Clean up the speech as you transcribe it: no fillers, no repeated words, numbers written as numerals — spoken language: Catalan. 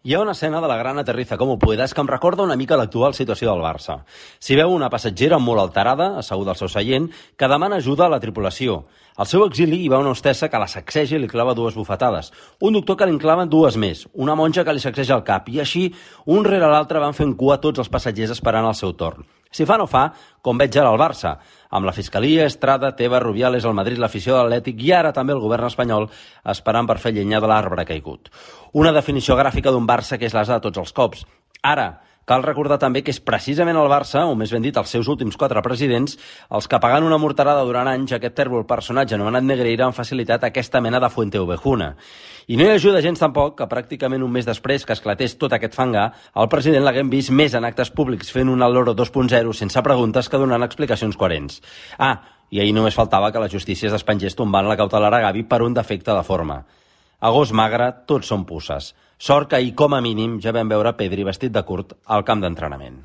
Hi ha una escena de la gran aterriza com ho puedes que em recorda una mica l'actual situació del Barça. S'hi veu una passatgera molt alterada, asseguda al seu seient, que demana ajuda a la tripulació. Al seu exili hi va una hostessa que la sacseja i li clava 2 bufetades. Un doctor que li en clava 2 més. Una monja que li sacseja el cap. I així, un rere l'altre van fent cua tots els passatgers esperant el seu torn. Si fa no fa, com veig ara al Barça, amb la Fiscalia, Estrada, Tebas, Rubiales, el Madrid, l'afició de l'Atlètic i ara també el govern espanyol esperant per fer llenya de l'arbre caigut. Una definició gràfica d'un Barça que és l'asa de tots els cops. Ara, cal recordar també que és precisament el Barça, o més ben dit els seus últims 4 presidents, els que pagant una morterada durant anys aquest tèrbol personatge anomenat Negreira han facilitat aquesta mena de fuente-ovejuna. I no hi ajuda gens tampoc que pràcticament un mes després que esclatés tot aquest fangar, el president l'haguem vist més en actes públics fent un Loro 2.0 sense preguntes que donant explicacions coherents. I ahir només faltava que la justícia es despengés tombant la cautelar a Gavi per un defecte de forma. A gos magre, tots són puces. Sort que ahir, com a mínim, ja vam veure Pedri vestit de curt al camp d'entrenament.